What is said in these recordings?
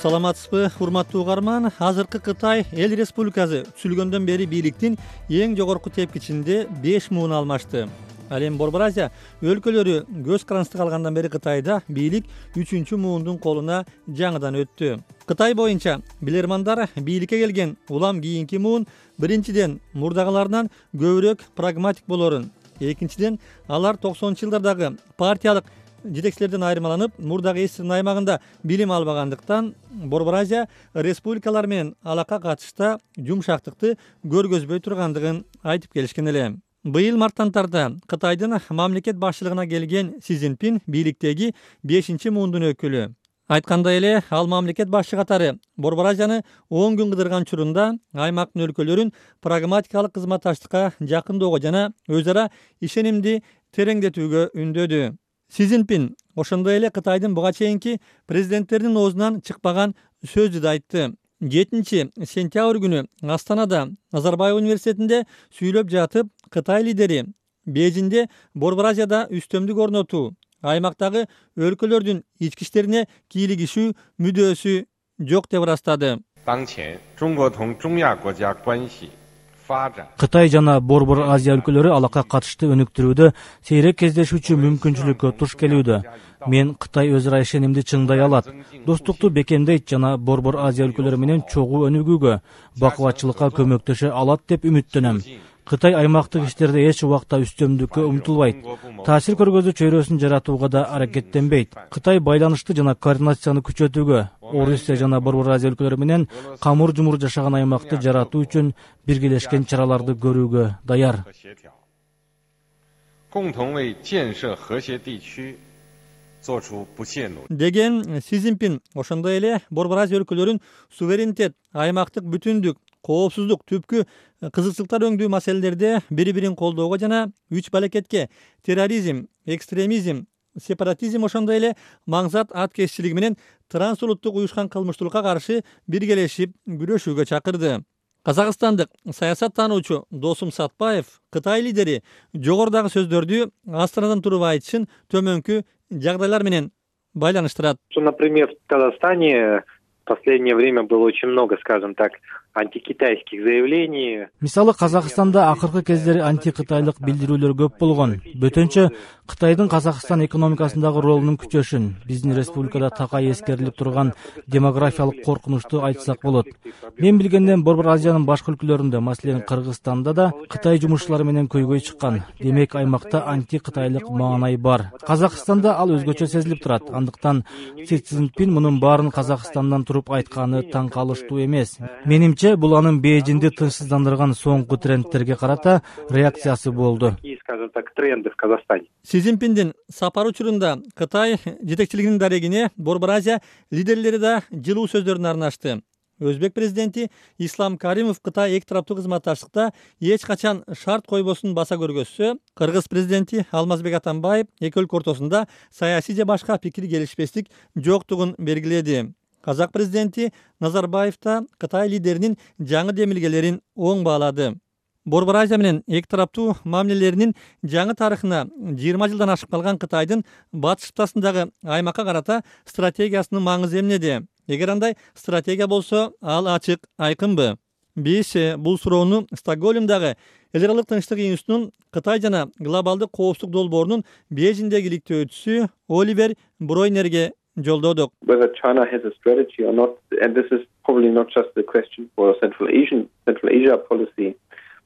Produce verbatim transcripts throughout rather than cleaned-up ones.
Саламатсызбы, урматтуу угарман. Азыркы Кытай Эл Республикасы түзүлгөндөн бери бийликтин эң жогорку тепкичинде беш муун алмашты. Ал эми Борбор Азия өлкөлөрү көз карандысына алгандан бери Кытайда бийлик үчүнчү муундун колуна жаңыдан өттү. Кытай боюнча билермандар бийликке келген улам кийинки муун биринчиден мурдагыларынан көбүрөөк прагматик болорун, экинчиден алар токсонунчу жылдардагы партиялык жетекчилерден айырмаланып, мурдагы эстирин аймагында билим албагандыктан Борбор Азия республикалар менен алакка катышта жумшактыкты көргөзбөй тургандыгын айтып келишкен эле. Быйыл марттан тарта Кытайдын мамлекет башчылыгына келген Си Цзиньпин бийликтеги бешинчи муундун өкүлү. Айткандай эле, ал мамлекет башчы катары Борбор Азияны он күн кыдырган учурунда аймактын өлкөлөрүн прагматикалык кызматташтыкка жакындоого жана өз ара ишенимди тереңдетүүгө үндөдү. Си Цзиньпин ошондой эле Кытайдын буга чейинки президенттеринин оозунан чыкпаган сөздү да айтты. жетинчи сентябрь күнү Астанада Назарбаев университетинде сүйлөп жатып, Кытай лидери Бейжиңде Борбор Азияда үстөмдүк орнотуу, аймактагы өлкөлөрдүн ички иштерине кийлигишүү мүдөөсү жок деп ырастады. Кытай жана Борбор Азия өлкөлөрү алакка катышты өнүктүрүүдө сейрек кездешүүчү мүмкүнчүлүккө туш келүүдө. Мен Кытай өз ара ишенимди чыңдай алат, достукту бекемдейт жана Борбор Азия өлкөлөрү менен чогуу өнүгүүгө, бакубатчылыкка көмөктөшө алат деп үмүттөнөм. Кытай аймактык иштерде эч убакта үстөмдүккө умтулбайт, таасир көргөзүү чөйрөсүн жаратууга да аракеттенбейт. Кытай байланышты жана координацияны күчөтүүгө, Орусия жана Борбор Азия өлкөлөрү менен камыр-жумур жашаган аймакты жаратуу үчүн биргелешкен чараларды көрүүгө даяр. Деген Си Цзиньпин ошондой эле Борбор Азия өлкөлөрүн суверенитет, аймактык бүтүндүк, коопсуздук, түпкү кызыкчылыктар өңдүү маселелерде бири-бирин колдоого жана үч балекетке терроризм, экстремизм, сепаратизм ошондой эле маңзат аткезчилиги менен трансулуттук уюшкан кылмыштуулукка каршы биргелешип күрөшүүгө чакырды. Казакстандык саясаттануучу Досум Сатпаев Кытай лидери жогорудагы сөздөрдү Астанадан туруп айтышын төмөнкү жагдайлар менен байланыштырат. Например, в Казахстане в последнее время было очень много, скажем так, антикитайских заявлений. Мисалы, Казакстанда акыркы кездери антикытайлык билдирүүлөр көп болгон. Бөтөнчө Кытайдын Казакстан экономикасындагы ролунун күчөшүн, биздин республикада такай эскерилип турган демографиялык коркунучту айтсак болот. Мен билгенден Борбор Азиянын башка өлкөлөрүндө, маселен Кыргызстанда да Кытай жумушчулары менен көйгөй чыккан. Демек аймакта антикытайлык маанай бар. Казакстанда ал өзгөчө сезилип турат. Андыктан Си Цзиньпин мунун баарын Казакстандан туруп айтканы таң калыштуу эмес. Менимче, бул анын Бейжиңди тынчсыздандырган соңку трендтерге карата реакциясы болду. Скажем так, тренды в Казахстане. Си Цзиньпиндин сапар учурунда Кытай жетекчилигинин дарегине Борбор Азия лидерлери да жылуу сөздөрүн арнашты. Өзбек президенти Ислам Каримов Кытай эки тараптуу кызматташтыкта эч качан шарт койбосун баса көргөзсө, Кыргыз президенти Алмазбек Атамбаев эки өлкө ортосунда саясий же башка пикир келишпестик жоктугун белгиледи. Казак президенти Назарбаев да Кытай лидеринин жаңы демилгелерин оң баалады. Борбор Азия менен эки тараптуу мамилелеринин жаңы тарыхына жыйырма жылдан ашып калган Кытайдын батыш кыптасындагы аймакка карата стратегиясынын маңызы эмнеде? Эгер андай стратегия болсо, ал ачык, айкынбы? Биз бул суроону Стокгольмдагы эл аралык тынчтык институтунун Кытай жана глобалдык коопсуздук долбоорунун Бейжиңдеги иликтөөчүсү Оливер Бройнерге жолдодук. Whether China has a strategy or not, and this is probably not just the question for Central Asian, Central Asia policy,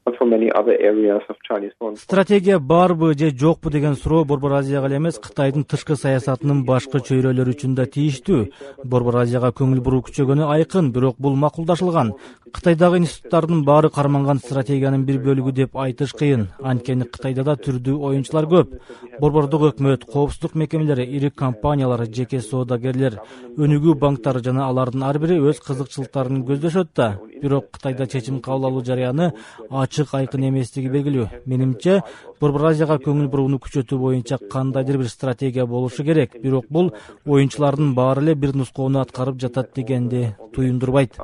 but for many other areas of Chinese foreign policy. Стратегия барбы же жокпу деген суроо Борбор Азияга эле эмес, Кытайдын тышкы саясатынын башка чөйрөлөрү үчүн да тийиштүү. Борбор Азияга көңүл буруу күчөгөнү айкын, бирок бул макулдашылган. Кытайдагы институттардын баары карманган стратегиянын бир бөлүгү деп айтыш кыйын. Анткени Кытайда да түрдүү оюнчулар көп. Борбордук өкмөт, коопсуздук мекемелери, ири компаниялар, жеке соодагерлер, өнүгүү банктары жана алардын ар бири өз кызыкчылыктарын көздөшөт да. Бирок Кытайда чечим кабыл алуу жарыяны ачык, айкын эместиги белгилүү. Менимче, Борбор Азияга көңүл бурууну күчөтүү боюнча кандайдыр бир стратегия болушу керек. Бирок бул оюнчулардын баары эле бир нускоону аткарып жатат дегенди туюндурбайт.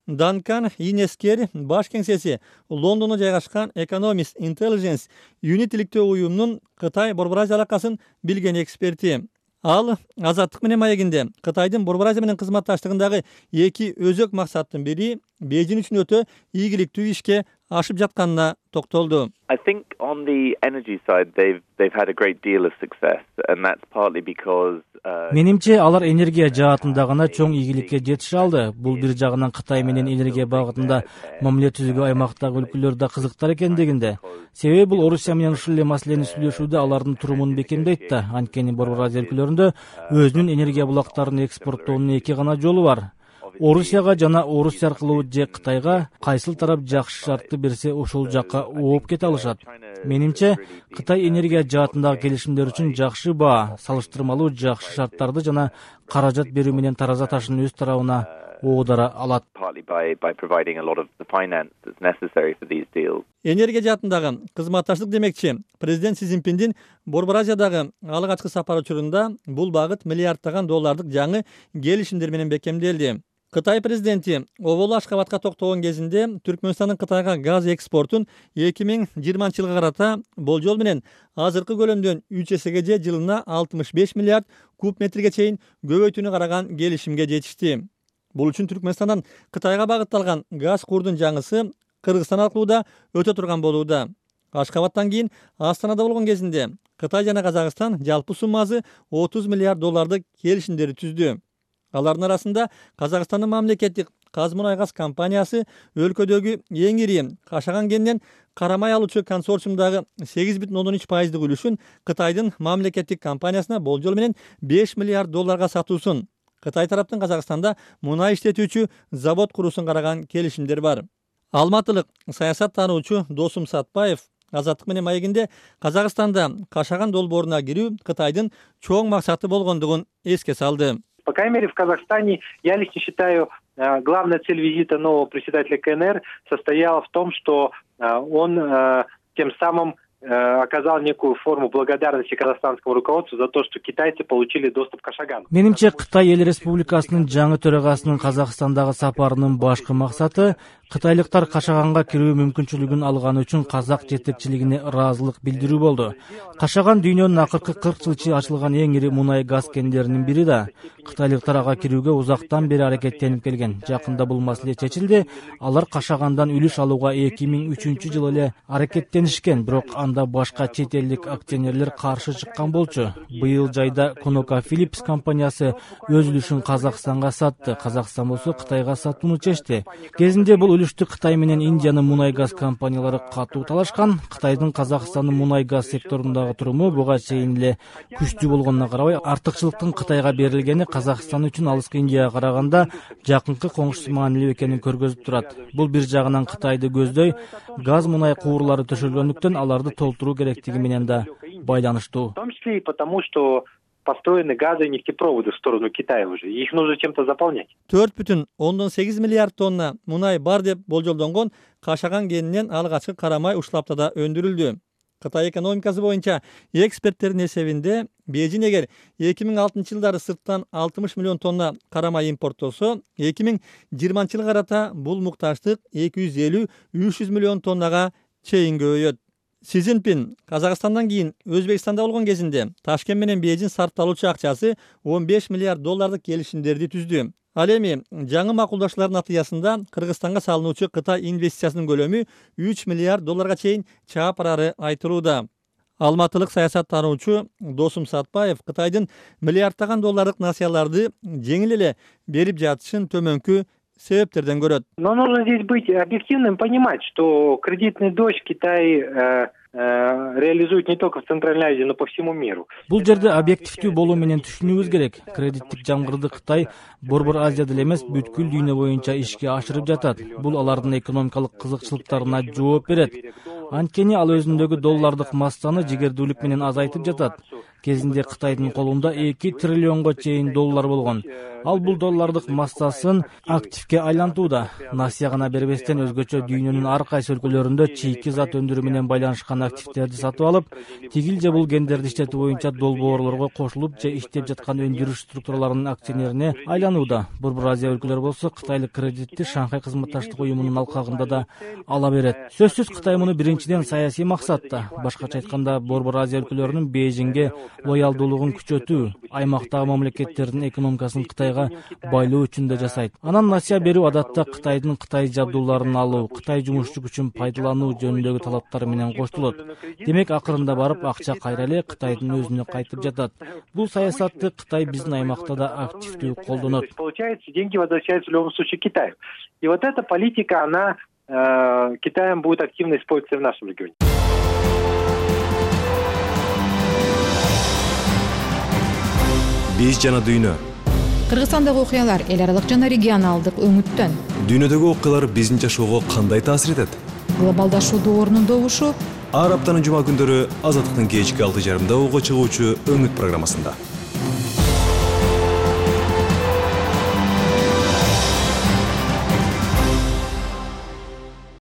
Данкан Инескер баш кеңсеси Лондондо жайгашкан Economist Intelligence Unit иликтөө уюмунун Кытай Борбор Азия алакасын билген эксперти. Ал Азаттык менен маегинде Кытайдын Борбор Азия менен кызматташтыгындагы эки өзөк максаттын бири Бейжин үчүн өтө ийгиликтүү ишке ашып жатканына токтолду. I think on the energy side they've they've had a great deal of success and that's partly because Менимче алар энергия жаатында гана чоң ийгиликке жетише алды. Бул бир жагынан Кытай менен энергия багытында мамиле түзүүгө аймактагы өлкөлөр да кызыктар экендигинде. Себеби бул Орусия менен ушул эле маселени сүйлөшүүдө алардын турумун бекемдейт да. Анткени Борбор Азия өлкөлөрүндө өзүнүн энергия булактарын экспорттоонун эки гана жолу бар. Орусияга жана Орусия аркылуу же Кытайга кайсыл тарап жакшы шартты берсе ошол жакка ооп кете алышат. Менимче Кытай энергия жаатындагы келишимдер үчүн жакшы баа, салыштырмалуу жакшы шарттарды жана каражат берүү менен тараза ташын өз тарабына оодара алат. Энергия жаатындагы кызматташтык демекчи, президент Си Цзиньпиндин Борбор Азиядагы алгачкы сапары учурунда бул багыт миллиарддаган доллардык жаңы келишимдер менен бекемделди. Кытай президенти Оболу Ашкабадка токтогон кезинде Түркмөнстандын Кытайга газ экспортун эки миң жыйырманчы жылга карата болжол менен азыркы көлөмдөн үч эсеге же жылына алтымыш беш миллиард куб метрге чейин көбөйтүүнү караган келишимге жетишти. Бул үчүн Түркмөнстандан Кытайга багытталган газ курдун жаңысы Кыргызстан аркылуу да өтө турган болууда. Ашкабадтан кийин Астанада болгон кезинде Кытай жана Казакстан жалпы суммасы отуз миллиард доллардык келишимдерди түздү. Алардын арасында Казакстандын мамлекеттик Казмунайгаз компаниясы өлкөдөгү эң ири кашаган кенинен карамай алуучу консорциумдагы сегиз бүтүн ондон үч пайыздык үлүшүн Кытайдын мамлекеттик компаниясына болжол менен беш миллиард долларга сатуусун, Кытай тараптын Казакстанда мунай иштетүүчү завод куруусун караган келишимдер бар. Алматылык саясат таануучу Досум Сатпаев Азаттык менен маегинде Казакстанда кашаган долбооруна кирүү Кытайдын чоң максаты болгондугун эске салды. По крайней мере, в Казахстане, я лично считаю, главная цель визита нового председателя КНР состояла в том, что он тем самым оказал некую форму благодарности казахстанскому руководству за то, что китайцы получили доступ к Кашагану. Менимче Кытай эл республикасынын жаңы төрагасынын Казакстандагы сапарынын башкы максаты кытайлыктар Кашаганга кирүү мүмкүнчүлүгүн алганы үчүн казак жетекчилигине ыраазылык билдирүү болду. Кашаган дүйнөнүн акыркы кырк жыл ичи ачылган эң ири мунай газ кендеринин бири да. Кытайлыктар ага кирүүгө узактан бери аракеттенип келген. Жакында бул маселе чечилди. Алар Кашагандан үлүш алууга эки миң үчүнчү жылы эле аракеттенишкен, бирок анда башка чет элдик акционерлер каршы чыккан болчу. Быйыл жайда ConocoPhillips компаниясы өз үлүшүн Казакстанга сатты. Казакстан болсо Кытайга сатууну чечти. Кезинде бул үлүштү Кытай менен Индиянын мунай газ компаниялары катуу талашкан. Кытайдын Казакстандын мунай газ секторундагы туруму буга чейин эле күчтүү болгонуна карабай, артыкчылыктын Кытайга берилгени Казакстан үчүн алыскы Индияга караганда жакынкы коңшусу маанилүү экенин көргөзүп турат. Бул бир жагынан Кытайды көздөй, газ мунай куурлары төшөлгөндүктөн аларды толтуруу керектиги менен да байланыштуу. В том числе и потому, что построены газы и нефтепроводы в сторону Китая уже. Их нужно чем-то заполнять. төрт бүтүн ондон сегиз миллиард тонна мунай бар деп болжолдонгон Кашаган кенинен алгачкы карамай уштаптада өндүрүлдү. Кытай экономикасы боюнча эксперттердин эсебинде Бейжин эгер эки миң алтынчы жылдары сырттан алтымыш миллион тонна карамай импорттосо, эки миң жыйырманчы жылга карата бул муктаждык эки жүз элүү үч жүз миллион тоннага чейин көбөйөт. Си Цзиньпин Казакстандан кийин Өзбекстанда болгон кезинде Ташкент менен Бейжин сарпталуучу акчасы он беш миллиард доллардык келишимдерди түздү. Ал эми жаңы макулдашуулардын натыйжасында Кыргызстанга салынуучу Кытай инвестициясынын көлөмү үч миллиард долларга чейин чаап барары айтылууда. Алматылык саясат таануучу Досум Сатпаев Кытайдын миллиарддаган доллардык насыяларды жеңил эле берип жатышын төмөнкү себептерден көрөт. Но нужно здесь быть объективным, понимать, что кредитный дождь Китай э, э, реализует не только в Центральной Азии, но по всему миру. Бул жерде объективдүү болуу менен түшүнүүбүз керек. Кредиттик жамгырды Кытай Борбор Азияда эле эмес, бүткүл дүйнө боюнча ишке ашырып жатат. Бул алардын экономикалык кызыкчылыктарына жооп берет. Анткени ал өзүндөгү доллардык массаны жигердүүлүк менен азайтып жатат. Кезинде Кытайдын колунда эки триллионго чейин доллар болгон. Ал бул доллардык массасын активге айлантууда. Насыя гана бербестен өзгөчө дүйнөнүн ар кайсы өлкөлөрүндө чийки зат өндүрүү менен байланышкан активдерди сатып алып, тигил же бул кендерди иштетүү боюнча долбоорлорго кошулуп же иштеп жаткан өндүрүш структураларынын акционерине айланууда. Борбор Азия өлкөлөрү болсо Кытайлык кредитти Шанхай кызматташтык уюмунун алкагында да ала берет. Сөзсүз Кытай муну биринчи экинчиден саясий максатта. Башкача айтканда, Борбор Азия өлкөлөрүнүн Бейжиңге лоялдуулугун күчөтүү, аймактагы мамлекеттердин экономикасын Кытайга байлоо үчүн да жасайт. Анан насыя берүү адатта Кытайдын Кытай жабдууларын алуу, Кытай жумушчу күчүн пайдалануу жөнүндөгү талаптары менен коштулот. Демек, акырында барып акча кайра эле Кытайдын өзүнө кайтып жатат. Бул саясатты Кытай биздин аймакта да активдүү колдонот. Получается, деньги возвращаются в любом случае Китаю. И вот эта политика, она э, Китаем будет активно использоваться в нашем регионе. Биз жана дүйнө. Кыргызстандагы окуялар эл аралык жана регионалдык өңүттөн. Дүйнөдөгү окуялар биздин жашоого кандай таасир этет? Глобалдашуу доорунун добушу. Ар аптанын жума күндөрү Азаттыктын кечки алты жарымда угуп чыгуучу Өңүт программасында.